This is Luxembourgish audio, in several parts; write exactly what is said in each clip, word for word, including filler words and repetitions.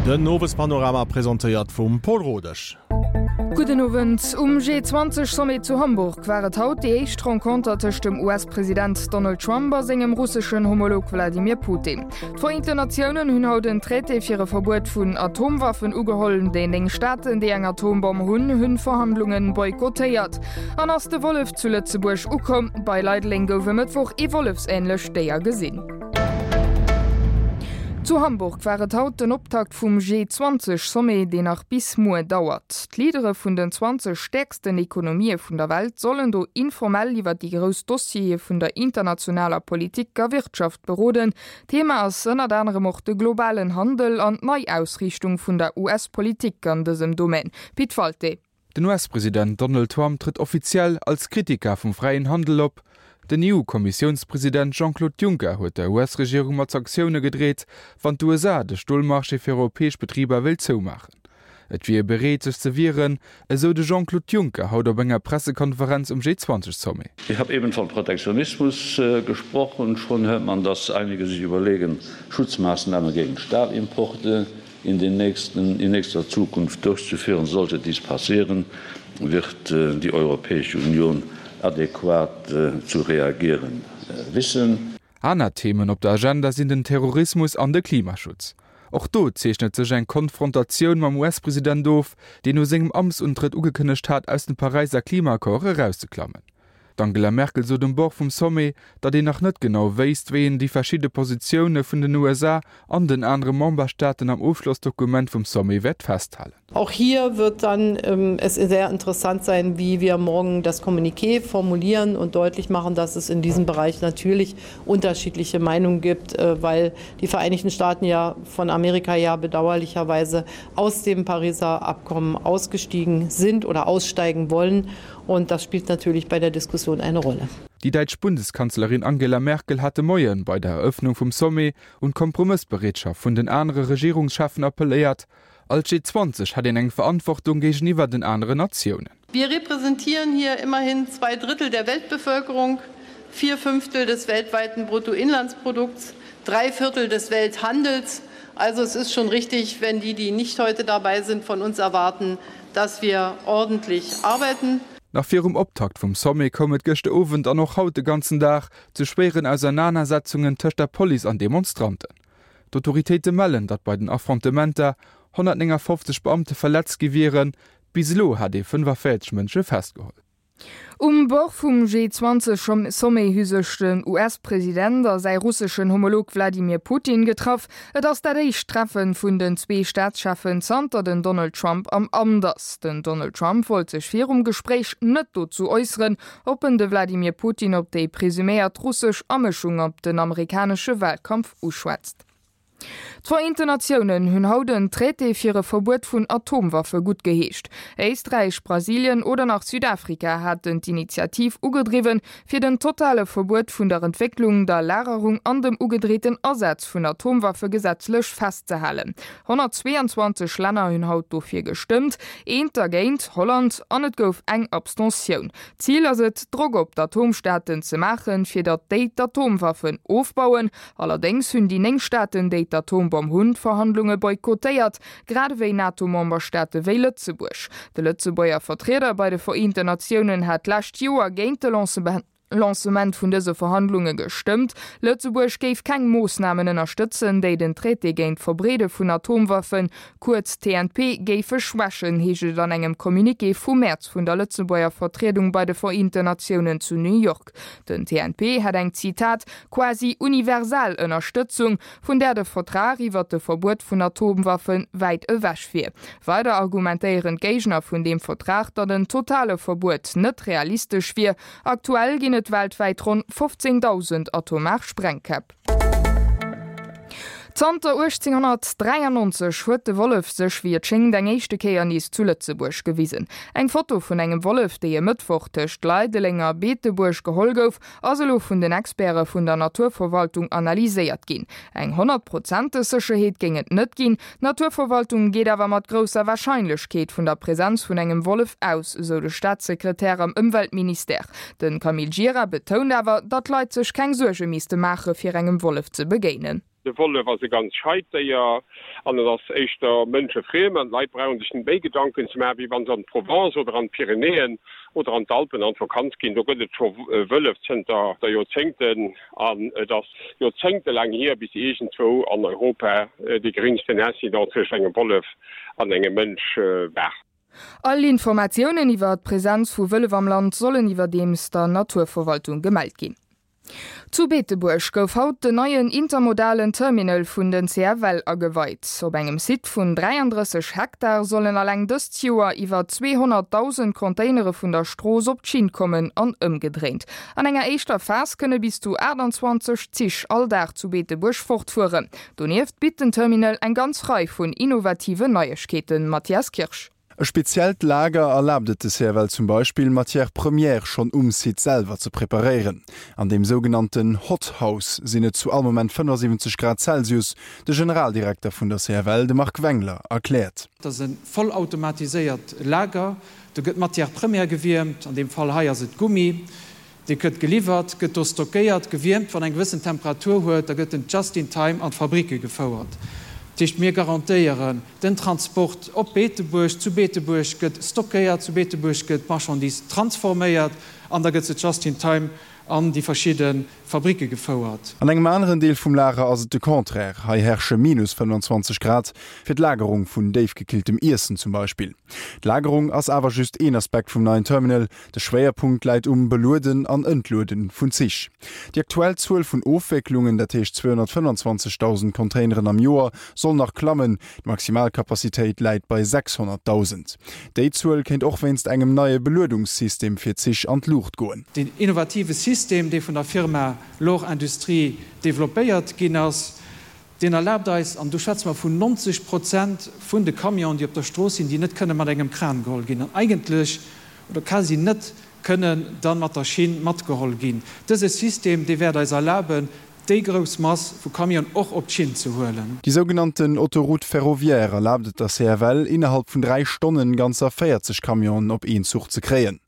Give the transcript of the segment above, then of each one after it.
Den Owespanorama presentéiert vum Paul Rodesch. Gudden Owend. Um G zwanzeg Sommet zu Hamburg war et haut déi éischt Renconter tëscht dem U S-President Donald Trump a sengem russeschen Homolog Wladimir Putin. D'Vereenten Natiounen hunn haut en Traité fir e Verbuet vun Atomwaffen ugeholl. Déi néng Staaten, déi eng Atombomm hunn, hunn d'Verhandlunge boykottéiert. An ass de Wollef zu Lëtzebuerg ukomm? Bei Leideleng gouf e Mëttwoch ee wollefsähnlecht Déier gesinn. Zu Hamburg war et haut den Optakt vum G zwanzeg Sommet, deen nach bis muer dauert. D'Leadere vun den zwanzeg stäerksten Ekonomië vun der Welt sollen do informell iwwer déi grouss Dossiere vun der internationaler Politik a Wirtschaft beroden. Thema ass ënnert anerem och de globalen Handel an d'Neiausriichtung vun der U S-Politik an dësem Domaine. Pit Walté. Den U S-President Donald Trump trëtt offiziell als Kritiker vum fräien Handel op. Den E U-Kommissiounspresident Jean-Claude Juncker huet der U S-Regierung mat Sanktioune gedreet, wann d'U S A de Stolmarché fir europäesch Betriber wéilt zoumaachen. Et wier bereet, sech ze wieren, esou de Jean-Claude Juncker haut op enger Pressekonferenz um G zwanzeg Sommet. Ich habe eben von Protektionismus, äh, gesprochen. Schon hört man, dass einige sich überlegen, Schutzmaßnahmen gegen Stahlimporte in den nächsten, in nächster Zukunft durchzuführen. Sollte dies passieren, wird, äh, die Europäische Union adäquat, äh, zu reagieren, äh, wissen. Aner Themen op der Agenda sinn den Terrorismus an de Klimaschutz. Och do zeechnet sech eng Konfrontatioun mam U S-President of, deen no sengem Amtsuntrëtt ugekënnegt hat, aus dem Paräisser Klimaaccord erauszeklammen. D'Angela Merkel sot um Bord vum Sommet, datt een nach net genau wéisst, wéi een déi verschidde Positioune vun den U S A an den anere Memberstaaten am Ofschlossdokument vum Sommet wäert festhalen. Auch hier wird dann, ähm, es sehr interessant sein, wie wir morgen das Kommuniqué formulieren und deutlich machen, dass es in diesem Bereich natürlich unterschiedliche Meinungen gibt, äh, weil die Vereinigten Staaten ja von Amerika ja bedauerlicherweise aus dem Pariser Abkommen ausgestiegen sind oder aussteigen wollen. Und das spielt natürlich bei der Diskussion eine Rolle. Die deutsche Bundeskanzlerin Angela Merkel hatte Moien bei der Eröffnung vom Sommet und Kompromissbereitschaft von den anderen Regierungschefen appelliert. Als G zwanzig hat er eng Verantwortung gegenüber den anderen Nationen. Wir repräsentieren hier immerhin zwei Drittel der Weltbevölkerung, vier Fünftel des weltweiten Bruttoinlandsprodukts, drei Viertel des Welthandels. Also es ist schon richtig, wenn die, die nicht heute dabei sind, von uns erwarten, dass wir ordentlich arbeiten. Nach virum Optakt vum Sommet koum et gëschter Owend an och haut de ganzen Dag zu schweren Auseinandersetzungen tëscht der Police an Demonstranten. D'Autoritéite mellen, datt bei den Affrontementer hundertneunundfünfzig Beamte verletzt gi wieren, bis elo hat ee fünfundvierzig Mënsche festgeholl. Um Bord vum G zwanzig Sommet hu sech den U S-President a säi russeschen Homolog Wladimir Putin getraff. Et ass dat éischt Treffen vun den zwee Staatscheffen zanter den Donald Trump am Amt ass. Den Donald Trump wollt sech virum Gespräch net dazu äußern, ob en de Wladimir Putin op déi presuméiert russesch Amëschung op den amerikanesche Wahlkampf uschwätzt. D'Vereenten Natiounen hunn haut en Traité fir e Verbuet vun Atomwaffe gutt geheescht. Éisträich, Brasilien oder nach Südafrika haten d'Initiativ ugedriwwen, fir den totale Verbuet vun der Entwécklung, der Lagerung an dem ugedrehten Ersatz vun Atomwaffe gesetzlech festzehalen. hundertzweiundzwanzig Länner hunn haut dofir gestëmmt, eent dergéint Holland an et gouf eng Abstentioun. Ziel ass et, Drock op d'Atomstaaten ze maachen, fir datt déi d'Atomwaffen ofbauen. Allerdéngs hunn déi néng Staaten, déi d'Atombomm hunn, d'Verhandlunge boykottéiert, grad ewéi NATO-Memberstaate wéi Lëtzebuerg. De Lëtzebuerger Vertrieder bei de Vereenten Natiounen hat d'lescht Joer géint de Lancement, Lancement vun dëse Verhandlunge gestëmmt. Lëtzebuerg géif keng Moossnamen ënnerstëtzen, déi den Traité géint d'Verbreede vun Atomwaffen, kuerz T N P, géife schwächen, heescht et an engem Communiqué vum März vun der Lëtzebuerger Vertriedung bei de Vereenten Natiounen zu New York. Den T N P hat eng Zitat quasi universal Ënnerstëtzung, vun der de Vertrag iwwer de Verbuet vun Atomwaffen wäit ewech wier. Weider argumentéieren d'Géigner vun dem Vertrag, datt en totale Verbuet net realistesch wier. Aktuell ginn et weltwäit ronn fünfzehntausend atomar Sprengkäpp. Zanter achtzehnhundertdreiundneunzig huet de Wollef sech wéi et schéngt eng éischte Kéier nees zu Lëtzebuerg gewisen. Eng Foto vun engem Wollef, déi e Mëttwoch tëscht Leideleng a Beetebuerg geholl gouf, ass elo vun den Experte vun der Naturverwaltung analyséiert ginn. Eng honnertprozenteg Sécherheet géing et net ginn. D'Naturverwaltung geet awer mat grousser Warscheinlechkeet vun der Präsenz vun engem Wollef aus, sou de Staatssekretär am Ëmweltministère. Den Camille Gira betount awer, datt d'Leit sech keng Suerge misste maache fir engem Wollef ze begéinen. De Wollef ass e ganz scheit Déier an et ass éischter mënschefriem an d'Leit brauche sech net méi Gedanken ze maachen, wéi wa se an d'Provence oder an d'Pyrenäen oder an d'Alpen an d'Vakanz ginn. Do gëtt et scho Wëllef zënter Joerzéngten an et ass joerzéngtelaang hier, bis iergendwou an Europa dee geréngsten Incident tëscht engem Wollef an engem Mënsch war. All Informatiounen iwwer d'Presenz vu Wëllef am Land sollen iwwerdeems der Naturverwaltung gemellt ginn. Zu Beetebuerg gouf haut den neien intermodalen Terminal vun den C F L ageweit. Op engem Site vun dräiandrësseg Hektar sollen alleng dëst Joer iwwer zweehonnertdausend Containere vun der Strooss op d'Schinn kommen an ëmgedréint. An enger éischter Phas kënne bis zu aachtanzwanzeg Zich all Dag zu Beetebuerg fortfueren. Donieft bitt den Terminal eng ganz Rei vun innovativen Neiegkeeten. Mathias Kirsch. E speziellt Lager erlaabt et de C F L zum Beispill, Matières premières schonn um Site selwer ze preparéieren. An deem sougenannten Hot House sinn et zu all Moment fënnefasiwwenzeg Grad Celsius, de Generaldirekter vun der C F L, de Marc Wengler, erkläert. Dat ass e vollautomatiséiert Lager. Do gëtt d'Matière première gewiermt, an deem Fall hei ass et Gummi. Dee gëtt geliwwert, gëtt do stockéiert, gewiermt, wann eng gewëssen Temperatur huet, da gëtt en just in time an d'Fabricke gefouert. Dat heescht, mir garantéieren den Transport op Beetebuerg, zu Beetebuerg gëtt stockéiert, zu Beetebuerg gëtt d'Marchandise transforméiert an da gëtt se just in time an déi verschidde Fabricke gefouert. An engem aneren Deel vum Lager ass et de Contraire, hei herrsche minus fënnfanzwanzeg Grad, fir d'Lagerung vun déifgekilltem Iessen zum Beispill. D'Lagerung ass awer just een Aspekt vum neien Terminal, de Schwéierpunkt läit um Belueden an Entluede vun Zich. Déi aktuell Zuel vun Ofwécklungen, dat heescht zweehonnertfënnfanzwanzegdausend Containeren am Joer, soll nach klammen, d'Maximalkapazitéit läit bei sechshonnertdausend. Déi Zuel kéint och wéinst engem neie Beluedungssystem fir Zich an d'Luucht goen. Deen innovative System, dee vun der Firma Lohr Industrie developpéiert ginn ass, deen erlaabt eis, an do schwätze mer vun neunzeg Prozent vun de Camionen, déi op der Strooss sinn, déi net kënne mat engem Kran geholl ginn an eigentlech oder quasi net kënnen da mat der Schinn matgeholl ginn, dëse System, dee wäert eis erlaben, déi grouss Mass vu Camionen och op d'Schinn ze huelen. Déi sougenannten Autoroute ferroviaire erlaabt et der C F L, innerhalb vun dräi Stonnen ganzer véierzeg Camionen op een Zuch ze kréien.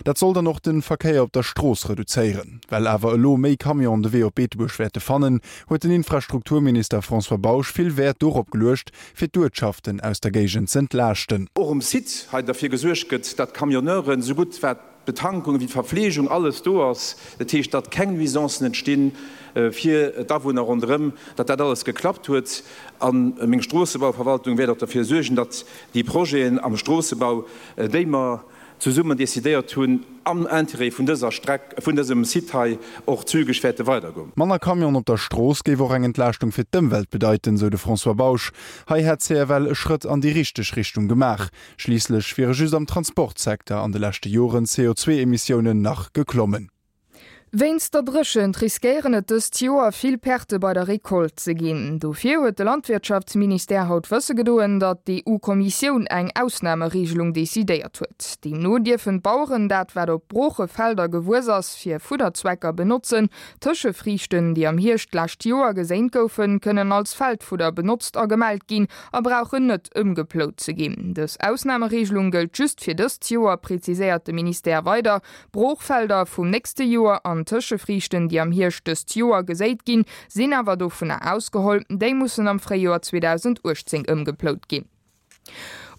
Dat soll dann och de Verkéier op der Strooss reduzéieren. Well awer elo méi Camionen de Wee op Beetebuerg wäerte fannen, huet den Infrastrukturminister François Bausch vill Wäert dorop geluecht, fir d'Uertschaften aus der Géigend z'entlaaschten. Och um Site hei derfir gesuergt gëtt, datt d'Camionneuren esou gutt wat d'Betankung wéi d'Verfleegung alles do ass, dat heescht, datt keng Nuisancen entstinn fir d'Awunner ronderëm, datt dat alles geklappt huet. A meng Stroossebauverwaltung wäert och derfir suergen, datt déi Projeten am Stroossebau, déi mer zesummen decidéiert hunn, am Interêt vun dëser Streck, vun dësem Site hei, och zügeg wäerte weidergoen. Manner Camionen op der Strooss géif och eng Entlaaschtung fir d'Ëmwelt bedeiten, sou de François Bausch. Hei hätt d'C F L e Schrëtt an déi richteg Richtung gemaach. Schliisslech wiere just am Transportsecteur an de leschte Joren d'C O zwee Emissiounen nach geklommen. Wéinst der Dréchent riskéieren et dëst Joer vill Perte bei der Recolte ze ginn. Dofir huet de Landwirtschaftsministère haut wësse gedoen, datt d'E U-Kommissioun eng Ausnamereegelung decidéiert huet. Deemno dierfen d'Baueren dat wat op Broochefelder gewuess ass fir Fudderzwecker benotzen. Tëschefriichten, déi am Hierscht d'lescht Joer geséint goufen, kënnen als Feldfudder benotzt a gemellt ginn a brauchen net ëmgeplout ze ginn. Dës Ausnamereegelung gëllt just fir dëst Joer, preziséiert de Ministère weider. Broochfelder vum nächste Joer an Tëschefriichten, déi am Hierscht dëst Joer geséit ginn, sinn awer dovunner ausgeholl, déi mussen am Fréijoer zweedausendachtzéng ëmgeplout ginn.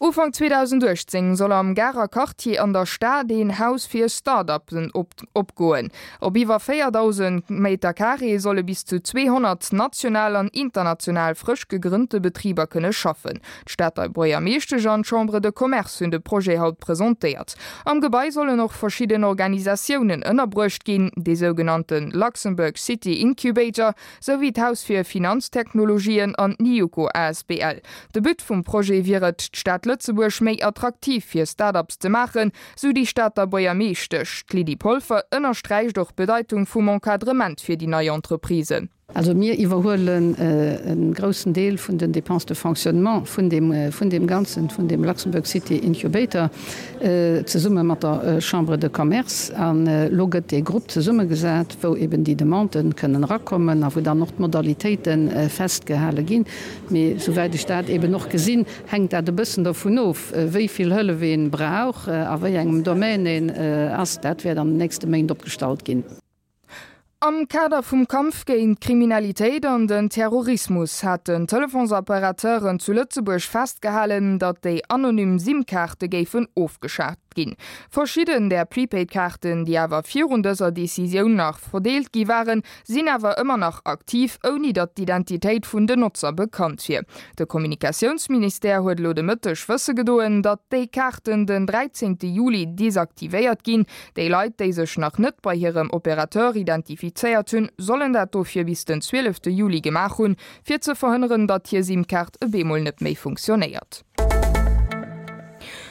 Ufank zweedausendachtzéng soll am Garer Quartier an der Stad een Haus fir Start-uppen opgoen. Op iwwer véierdausend Meter Carré solle bis zu zweehonnert national an international frësch gegrënnte Betriber kënne schaffen. D'Stater Buergermeeschtesch an d'Chambre de Commerce hunn de Projet haut presentéiert. Am Gebai sollen och verschidden Organisatiounen ënnerbruecht ginn, de sougenannte Luxembourg City Incubator, souwéi d'Haus fir Finanztechnologien an d'Niuko A S B L. De But vum Projet wier et, d'Stad Lëtzebuerg méi attraktiv fir Start-ups ze maachen, sou déi Stater Buergermeeschtesch. D'Lydie Polfer ënnersträicht och d'Bedeitung vum Encadrement fir déi nei Entreprisen. Also mir iwwerhuelen e groussen Deel vun den Dépenses de fonctionnement vun deem, vun deem Ganzen, vun deem Luxembourg City Incubator, zesumme mat der Chambre de Commerce. An elo gëtt dee Grupp zesummegesat, wou eben déi Demanden kënnen erakommen a wou dann och d'Modalitéite festgehale ginn. Mee souwäit ech dat eben och gesinn, hänkt dat e bëssen dovun of, wéi vill Hëllef ee brauch, a wéi engem Domaine een ass. Dat wäert an den nächste Méint opgestallt ginn. Am Kader vum Kampf géint d'Kriminalitéit an den Terrorismus haten d'Telefonsoperateuren zu Lëtzebuerg festgehalen, datt déi anonym SIM-Kaarte géifen ofgeschaaft ginn. Verschidden där Prepaid-Kaarten, déi awer virun dëser Decisioun nach verdeelt gi waren, sinn awer ëmmer nach aktiv, ouni datt d'Identitéit vun den Notzer bekannt wier. De Kommunikatiounsministère huet elo de Mëtteg wësse gedoen, datt déi Kaarten den dräizéngte Juli desaktivéiert ginn. Déi Leit, déi sech nach net bei hirem Opérateur identifizéiert hunn, sollen dat dofir bis den zwielefte Juli gemaach hunn, fir ze verhënneren, datt hir SIM-Kaart e bemol net méi funktionéiert.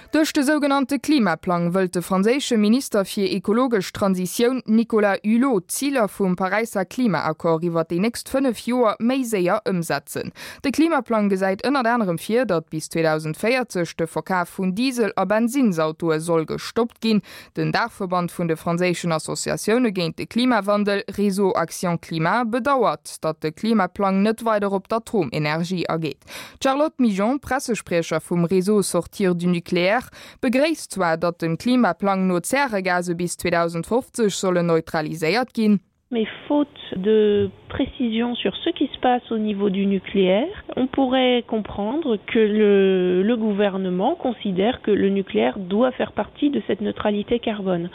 Duerch de sougenannte Klimaplang wëllt de franséische Minister fir ekologesch Transitioun Nicolas Hulot d'Ziler vum Paräisser Klimaaccord iwwer déi nächst fënnef Joer méi séier ëmsetzen. De Klimaplang gesäit ënnert anerem vir, datt bis zweedausendvéierzeg de Verkaf vun Diesel a Bensinnsautoe soll gestoppt ginn. Den Daachverband vun de franséischen Associatioune géint de Klimawandel, Réseau Action Climat, bedauert, datt de Klimaplang net weider op d'Atomenergie ageet. D'Charlotte Migeon, Pressespriecher vum Réseau Sortir du nucléaire, begréisst zwar, datt dem Klimaplang no d'Zäregase bis zweedausendfofzeg sollen neutraliséiert ginn. Mais faute de précision sur ce qui se passe au niveau du nucléaire, on pourrait comprendre que le, le gouvernement considère que le nucléaire doit faire partie de cette neutralité carbone.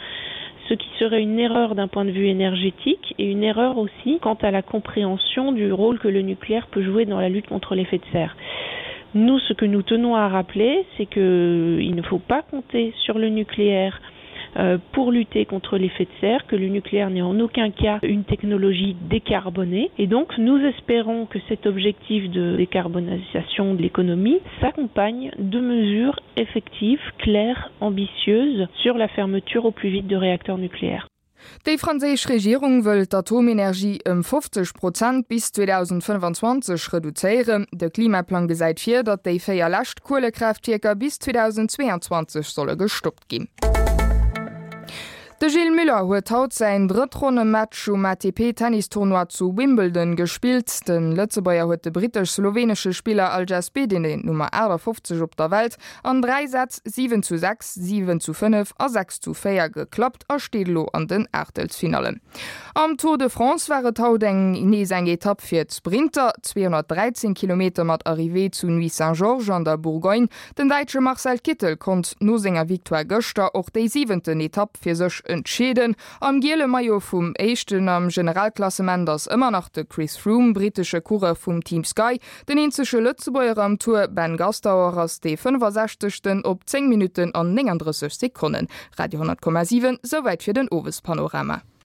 Ce qui serait une erreur d'un point de vue énergétique et une erreur aussi quant à la compréhension du rôle que le nucléaire peut jouer dans la lutte contre l'effet de serre. Nous, ce que nous tenons à rappeler, c'est qu'il ne faut pas compter sur le nucléaire euh, pour lutter contre l'effet de serre, que le nucléaire n'est en aucun cas une technologie décarbonée. Et donc nous espérons que cet objectif de décarbonisation de l'économie s'accompagne de mesures effectives, claires, ambitieuses sur la fermeture au plus vite de réacteurs nucléaires. Déi franséisch Regierung wëll d'Atomenergie ëm fofzeg Prozent bis zweedausendfënnfanzwanzeg reduzéieren. De Klimaplang gesäit vir, datt déi véier lescht Kuelekraaftwierker bis zweedausendzweeanzwanzeg solle gestoppt ginn. De Gilles Muller huet haut säin Drëttronnematch um A T P-Tennistournoi zu Wimbledon gespillt. De Lëtzebuerger huet de brittesch-slowenesche Spiller Aljaž Bedene, Nummer achtafofzeg op der Welt, an dräi Sätz siwen zu sechs, siwen zu fënnef a sechs zu véier geklappt a steet elo an den Aachtelsfinallen. Am Tour de France war et haut eng nees eng Etapp fir d'Sprinter, zweehonnertdräizéng Kilometer mat Arrivée zu Nuits-Saint-Georges an der Bourgogne. Den Däitsche Marcel Kittel konnt no senger Victoire gëschter och déi siwenten Etapp fir sech entscheeden. Am giele Maillot vum Éischten am Generalklassement ass ëmmer nach de Chris Froome, brittesche Coureur vum Team Sky. Den eenzege Lëtzebuerger am Tour, Ben Gastauer, ass dee fënnefasechzegsten op zéng Minutten an néngandrësseg Sekonnen. Radio honnert Komma siwen, Souwäit fir den Owespanorama.